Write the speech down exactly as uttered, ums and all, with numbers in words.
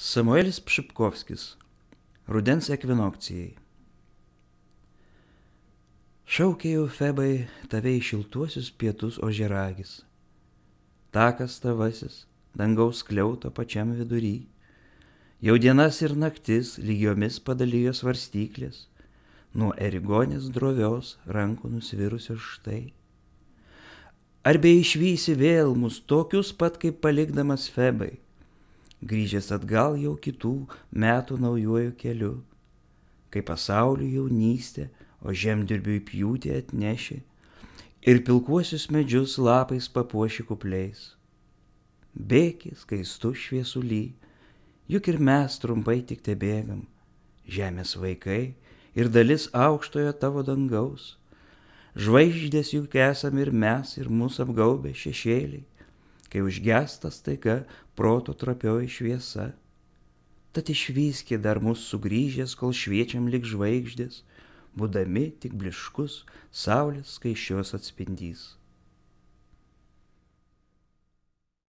Samuelis Pšipkovskis. Rudens ekvinokcijai. Šaukėjau Febai tave į šiltuosius pietus ožiaragis. Takas tavasis, dangaus skliauto pačiam vidury. Jau dienas ir naktis lygiomis padalijo svarstyklės, nuo erigonės drovios rankų nusvirusios štai. Ar be išvysi vėl mus tokius pat kaip palikdamas Febai, grįžęs atgal jau kitų metų naujuoju keliu, kai pasaulių jaunystė, o žemdirbiui pjūtį atneši ir pilkuosius medžius lapais papuoši kupliais. Bėki skaistu šviesuly, juk ir mes trumpai tik tebėgam, žemės vaikai ir dalis aukštojo tavo dangaus. Žvaigždės juk esam ir mes, ir mus apgaubę šešėliai, kai užgesta staiga proto trapioji šviesa. Tad išvyski dar mus sugrįžęs, kol šviečiam lik žvaigždės, būdami tik bliškus saulės skaisčios atspindys.